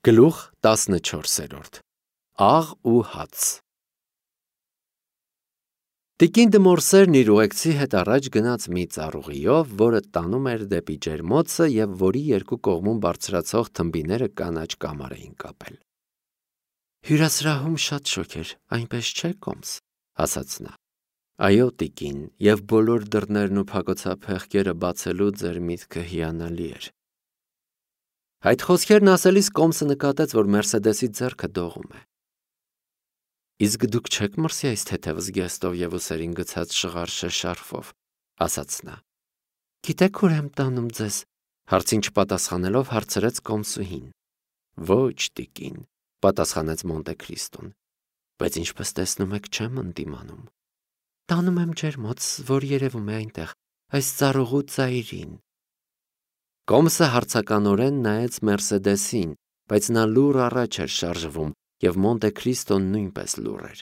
Գլուխ 14 Աղ ու հաց Տիկին Դմորսերն իր ուղեկցի հետ առաջ գնաց մի ծառուղիով, որը տանում էր դեպի ջերմոցը և որի երկու կողմում բարձրացող թմբիները կանաչ կամար էին կապել։ Հյուրասրահում շատ շոգ էր, այնպես չէ՞ Կոմս, ասաց նա։ Այո, տիկին, և բոլոր դռներն ու փակոցափեղկերը բացելու ձեր միտքը հիանալի էր։ Այդ խոսքերն ասելիս Կոմսը նկատեց, որ Մերսեդեսի ձեռքը դողում է։ Իսկ դուք չեք մրսի այս թեթև զգեստով և ուսերին գցած շղարշե շարֆով, ասաց նա։ Գիտեք ուր եմ տանում ձեզ, հարցին չպատասխանելով հարցրեց Կոմսուհին։ Ոչ, տիկին, պատասխանեց Մոնտե Քրիստոն, բայց ինչպես տեսնում եք, չեմ ընդդիմանում։ Տանում եմ ջերմոց, որ երևում է այնտեղ, այս ծառուղու ծայրին։ Կոմսը հարցականորեն նայեց Մերսեդեսին, բայց նա լուռ առաջ էր շարժվում, և Մոնտե Քրիստոն նույնպես լուռ էր։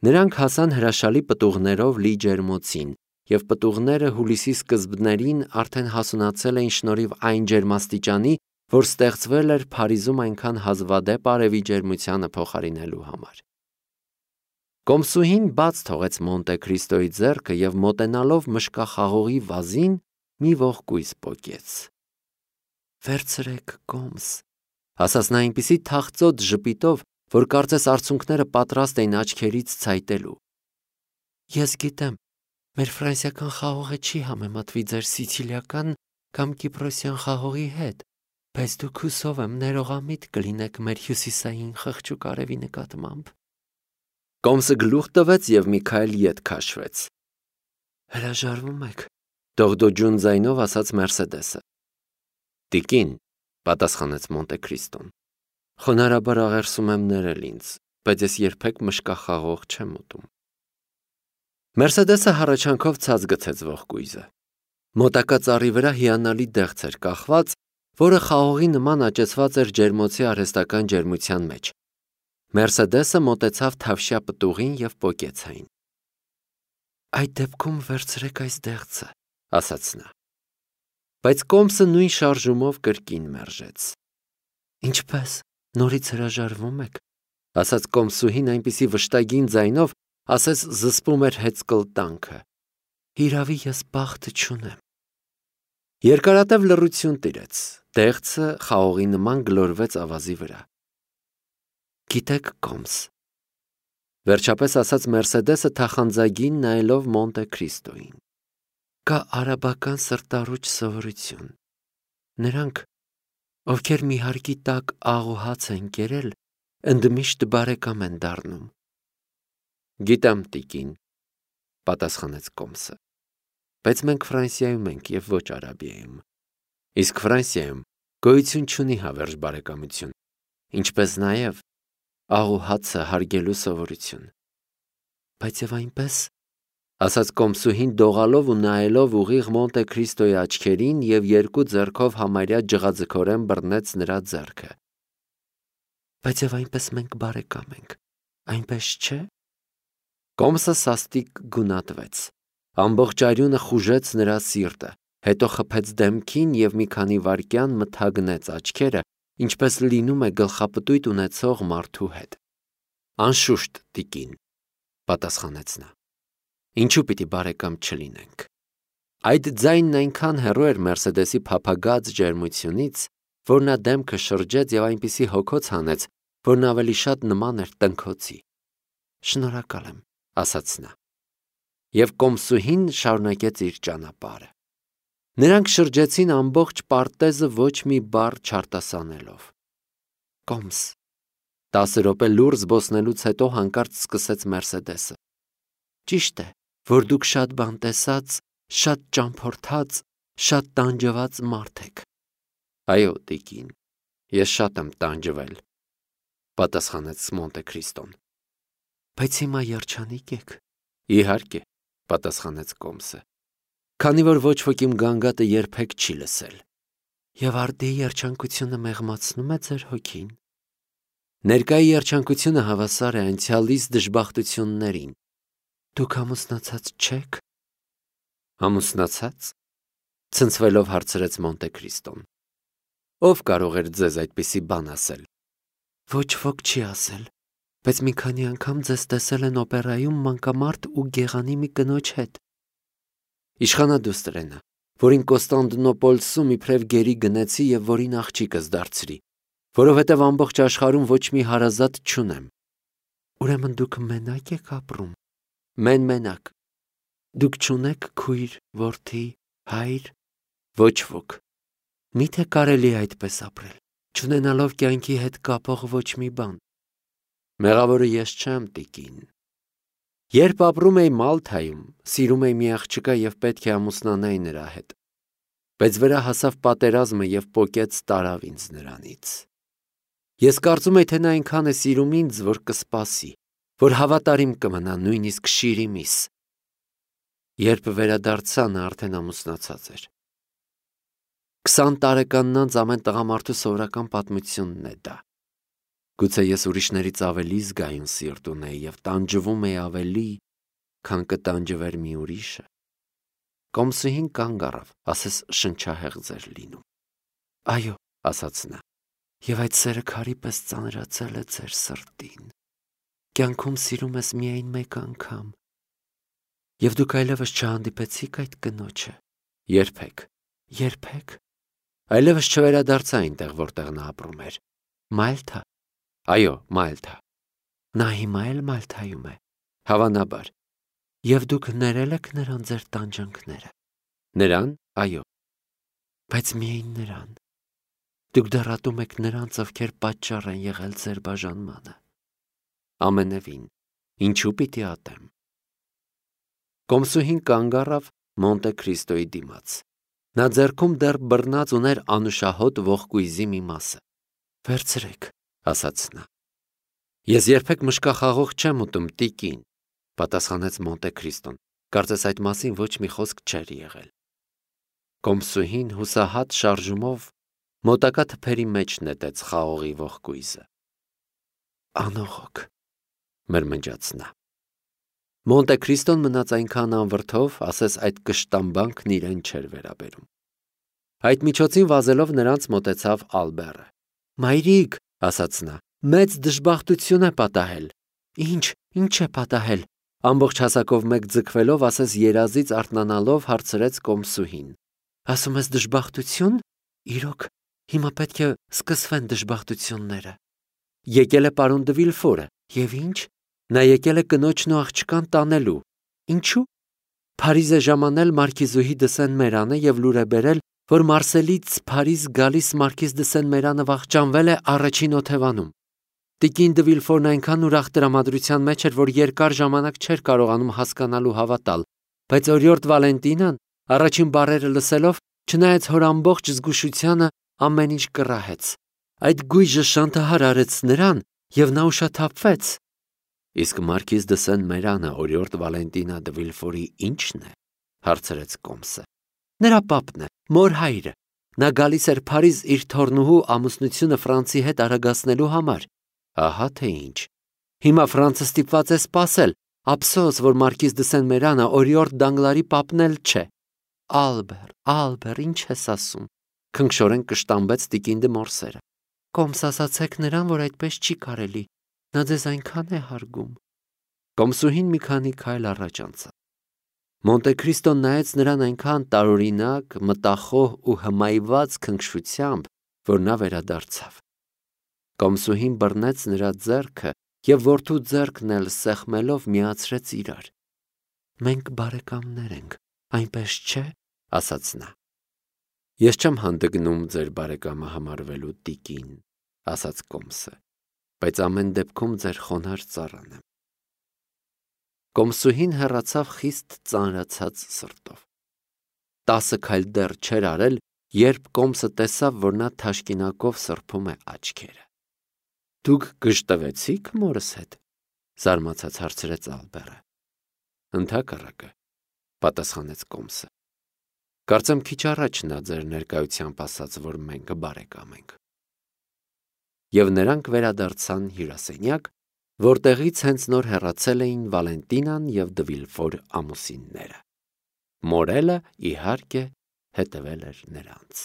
Նրանք հասան հրաշալի պտուղներով լի ջերմոցին, և պտուղները հուլիսի սկզբներին արդեն հասունացել էին շնորհիվ այն ջերմաստիճանի, որ ստեղծվել էր Փարիզում այնքան հազվադեպ արևի ջերմությանը փոխարինելու համար։ Կոմսուհին բաց թողեց Մոնտե Քրիստոյի ձեռքը և մոտենալով մշկախաղողի վազին մի ողկույզ պոկեց։ Վերցրեք, Կոմս, ասաց նա այնպիսի թախծոտ ժպիտով, որ կարծես արցունքները պատրաստ էին աչքերից ցայտելու։ Ես գիտեմ, մեր ֆրանսիական խաղողը չի համեմատվի ձեր սիցիլիական կամ կիպրոսյան խաղողի հետ, բայց դուք հուսով եմ ներողամիտ կլինեք մեր հյուսիսային խղճուկ արևի նկատմամբ։ Կոմսը գլուխ տվեց և մի քայլ ետ քաշվեց։ Հրաժարվում եք, դողդոջուն ձայնով ասաց Մերսեդեսը։ Տիկին, պատասխանեց Մոնտե Քրիստոն, խոնարհաբար աղերսում եմ ներել ինձ, բայց ես երբեք մշկախաղող չեմ ուտում։ Մերսեդեսը հառաչանքով ցած գցեց ողկույզը։ Մոտակա ծառի վրա հիանալի դեղց էր կախված, որը խաղողի նման աճեցված էր ջերմոցի արհեստական ջերմության մեջ։ Մերսեդեսը մոտեցավ թավշյա պտուղին և պոկեց այն։ Այդ դեպքում վերցրեք այս դեղցը, ասաց նա։ Բայց Կոմսը նույն շարժումով կրկին մերժեց։ Ինչպես, նորից հրաժարվում եք, ասաց Կոմսուհին այնպիսի վշտագին ձայնով, ասես զսպում էր հեծկլտանքը։ Հիրավի ես բախտ չունեմ։ Երկարատև լռություն տիրեց, դեղցը խաղողի նման գլորվեց ավազի վրա։ Գիտեք, Կոմս, վերջապես ասաց Մերսեդեսը թախանձագին նայելով Մոնտե Քրիստոյին։ Կա արաբական սրտառուչ սովորություն։ Նրանք, ովքեր մի հարկի տակ աղ ու հաց են կերել, ընդմիշտ բարեկամ են դառնում։ Գիտեմ, տիկին, պատասխանեց Կոմսը, բայց մենք Ֆրանսիայում ենք և ոչ Արաբիայում։ Իսկ Ֆրանսիայում գոյություն չունի հավերժ բարեկամություն, ինչպես նաև աղ ու հացը հարգելու սովորություն։ Բայց եւ այնպես, ասաց Կոմսուհին դողալով ու նայելով ուղիղ Մոնտե Քրիստոյի աչքերին և երկու ձեռքով համարյա ջղաձգորեն բռնեց նրա ձեռքը։ Բայց եւ այնպես մենք բարեկամ ենք, այնպես չէ՞։ Կոմսը սաստիկ գունատվեց։ Ամբողջ արյունը խուժեց նրա սիրտը, հետո խփեց դեմքին և մի քանի վայրկյան մթագնեց աչքերը, ինչպես լինում է գլխապտույտ ունեցող մարդու հետ։ Անշուշտ, տիկին, պատասխանեց նա։ Ինչու պիտի բարեկամ չլինենք։ Այդ ձայնն այնքան հեռու էր Մերսեդեսի փափագած ջերմությունից, որ նա դեմքը շրջեց և այնպիսի հոգոց հանեց, որն ավելի շատ նման էր տնքոցի։ Շնորհակալ եմ, ասաց նա։ Եվ Կոմսուհին շարունակեց իր ճանապարհը։ Նրանք շրջեցին ամբողջ պարտեզը ոչ մի բառ չարտասանելով։ Կոմս, 10 րոպե լուռ զբոսնելուց հետո հանկարծ սկսեց Մերսեդեսը։ Ճիշտ է, որ դուք շատ բան տեսած, շատ ճամփորդած, շատ տանջված մարդ եք։ Այո, տիկին, ես շատ եմ տանջվել, պատասխանեց Մոնտե Քրիստոն։ Բայց հիմա երջանիկ եք։ Իհարկե, պատասխանեց Կոմսը, քանի որ ոչ ոք իմ գանգատը երբեք չի լսել։ Եվ արդի երջանկությունը մեղմացնում է ձեր հոգին։ Ներկայի երջանկությունը հավասար է անցյալիս դժբախտություններին։ Դուք ամուսնացած չեք։ Ամուսնացած, ցնցվելով հարցրեց Մոնտե Քրիստոն։ Ով կարող էր ձեզ այդպիսի բան ասել։ Ոչ ոք չի ասել, բայց մի քանի անգամ ձեզ տեսել են օպերայում մանկամարդ ու գեղանի մի կնոջ հետ։ Իշխանադուստր, որին Կոստանդնոպոլսում իբրև գերի գնեցի եւ որին աղջիկս դարձրի, որովհետեւ ամբողջ աշխարհում ոչ մի հարազատ չունեմ։ Ուրեմն դուք մենակ եք ապրում։ Մենակ։ Դուք չունեք քույր, որդի, հայր, ոչ ոք։ Միթե կարելի է այդպես ապրել, չունենալով կյանքի հետ կապող ոչ մի բան։ Մեղավորը ես չեմ, տիկին։ Երբ ապրում էի Մալթայում, սիրում էի մի աղջկա եւ պետք է ամուսնանայի նրա հետ։ Բայց վրա հասավ պատերազմը եւ պոկեց տարավ ինձ նրանից։ Ես կարծում եի, թե նա այնքան է սիրում ինձ, որ կսպասի, որ հավատարիմ կմնա նույնիսկ շիրի միս։ Երբ վերադարձա, նա արդեն ամուսնացած էր։ 20 տարեկանն անց ամեն տղամարդու սովորական պատմությունն է դա։ Գուցե ես ուրիշներից ավելի զգայուն սիրտ ունեի եւ տանջվում էի ավելի, քան կտանջվեր մի ուրիշը։ Կոմսուհին կանգ առավ, ասես շնչահեղձ էր լինում։ Այո, ասաց նա, եւ այդ սերը քարի պես ծանրացել է ձեր սրտին։ Կյանքում սիրում ես միայն մեկ անգամ։ Եվ դուք այլևս չհանդիպեցիք այդ կնոջը։ Երբեք։ Այլևս չվերադարձա այնտեղ, որտեղ նա ապրում էր։ Մալթա։ Այո, Մալթա։ Նա հիմա էլ Մալթայում է, հավանաբար։ Եվ դուք ներել եք նրան ձեր տանջանքները։ Նրան, այո։ Բայց միայն նրան։ Դուք դեռ ատում եք նրանց, ովքեր պատճառ են եղել ձեր բաժանմանը։ Ամենևին, ինչու պիտի ատեմ։ Կոմսուհին կանգ առավ Մոնտե Քրիստոյի դիմաց։ Նա ձեռքում դեռ բռնած ուներ անուշահոտ ողկույզի մի մասը։ Վերցրեք, ասաց նա։ Ես երբեք մշկախաղող չեմ ուտում, տիկին, պատասխանեց Մոնտե Քրիստոն, կարծես այդ մասին ոչ մի խոսք չէր եղել։ Կոմսուհին հուսահատ շարժումով մոտակա թփերի մեջ նետեց խաղողի ողկույզը։ Անողոք, մրմնջաց նա։ Մոնտե Քրիստոն մնաց այնքան անվրդով, ասես այդ կշտամբանքն իրեն չէր վերաբերում։ Այդ միջոցին վազելով նրանց մոտեցավ Ալբերը։ Մայրիկ, ասաց նա, մեծ դժբախտություն է պատահել։ Ինչ է պատահել։ Ամբողջ հասակով մեկ ձգվելով, ասես երազից արթնանալով հարցրեց Կոմսուհին։ Ասում ես դժբախտություն։ Իրոք, հիմա պետք է սկսվեն դժբախտությունները։ Եկել է պարոն դը Վիլֆորը, եւ ինչ։ Նա եկել է կնոջն ու աղջկան տանելու։ Ինչու։ Փարիզ է ժամանել մարքիզուհի դը Սեն-Մերանը եւ լուր է բերել, որ Մարսելից Փարիզ գալիս մարքիզ դը Սեն-Մերանը վախճանվել է առաջին օթևանում։ Տիկին դը Վիլֆորն այնքան ուրախ տրամադրության մեջ էր, որ երկար ժամանակ չէր կարողանում հասկանալ ու հավատալ, բայց օրիորդ Վալենտինան առաջին բառերը լսելով, չնայած հոր ամբողջ զգուշությանը, ամեն ինչ կռահեց։ Այդ գույժը շանթահար արեց նրան, եւ նա ուշաթափվեց։ Իսկ մարքիզ դը Սեն-Մերանը օրիորդ Վալենտինա դը Վիլֆորի ի՞նչն է, հարցրեց Կոմսը։ Նրա պապն է, մոր հայրը։ Նա գալիս էր Փարիզ իր թորնուհու ամուսնությունը Ֆրանսի հետ արագացնելու համար։ Ահա թե ինչ։ Հիմա Ֆրանսը ստիպված է սպասել, ափսոս, որ մարքիզ դը Սեն-Մերանը օրիորդ Դանգլարի պապն էլ չէ։ Ալբեր, ինչ ես ասում։ Քնքշորեն կշտամբեց տիկին դը Մորսերը։ Կոմս ասացեք նրան, որ այդպես չի կարելի։ Նա ձեզ այնքան է հարգում։ Կոմսուհին մի քանի քայլ առաջ անցավ։ Մոնտե Քրիստոն նայեց նրան այնքան տարօրինակ, մտախոհ ու հմայված քնքշությամբ, որ նա վերադարձավ։ Կոմսուհին բռնեց նրա ձեռքը եւ որդու ձեռքն էլ սեղմելով միացրեց իրար։ Մենք բարեկամներ ենք, այնպես չէ, ասաց նա։ Ես չեմ հանդգնում ձեր բարեկամը համարվելու, տիկին, ասաց Կոմսը, բայց ամեն դեպքում ձեր խոնարհ ծառան եմ։ Կոմսուհին հեռացավ խիստ ծանրացած սրտով։ 10 քայլ դեռ չէր արել, երբ Կոմսը տեսավ, որ նա թաշկինակով սրբում է աչքերը։ Դուք գժտվեցիք մորս հետ, զարմացած հարցրեց Ալբերը։ Ընդհակառակը, պատասխանեց Կոմսը։ Կարծեմ քիչ առաջ նա ձեր ներկայությամբ ասաց, որ մենք բարեկամ ենք։ Եվ նրանք վերադարձան հյուրասենյակ, որտեղից հենց նոր հեռացել էին Վալենտինան եւ դը Վիլֆոր ամուսինները։ Մորելը, իհարկե, հետևել էր նրանց։